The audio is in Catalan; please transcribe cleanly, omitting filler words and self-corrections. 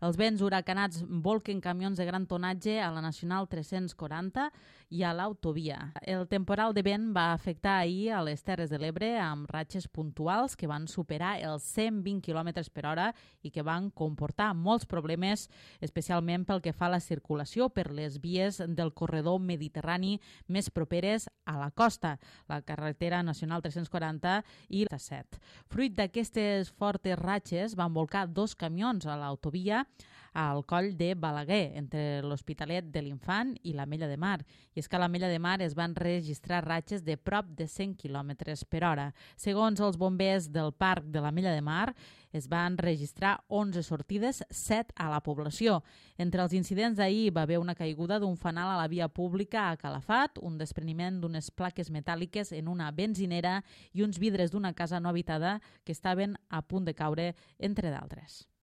Els vents huracanats volquen camions de gran tonatge a la Nacional 340 i a l'autovia. El temporal de vent va afectar ahir a les Terres de l'Ebre amb ratxes puntuals que van superar els 120 km per hora i que van comportar molts problemes, especialment pel que fa a la circulació per les vies del corredor mediterrani més properes a la costa, la carretera nacional 340 i la 7. Fruit d'aquestes fortes ratxes van volcar 2 camions a l'autovia al coll de Balaguer, entre l'Hospitalet de l'Infant i l'Ametlla de Mar. I és que a l'Ametlla de Mar es van registrar ratxes de prop de 100 km per hora. Segons els bombers del parc de l'Ametlla de Mar, es van registrar 11 sortides, 7 a la població. Entre els incidents d'ahir va haver una caiguda d'un fanal a la via pública a Calafat, un despreniment d'unes plaques metàl·liques en una benzinera i uns vidres d'una casa no habitada que estaven a punt de caure, entre d'altres.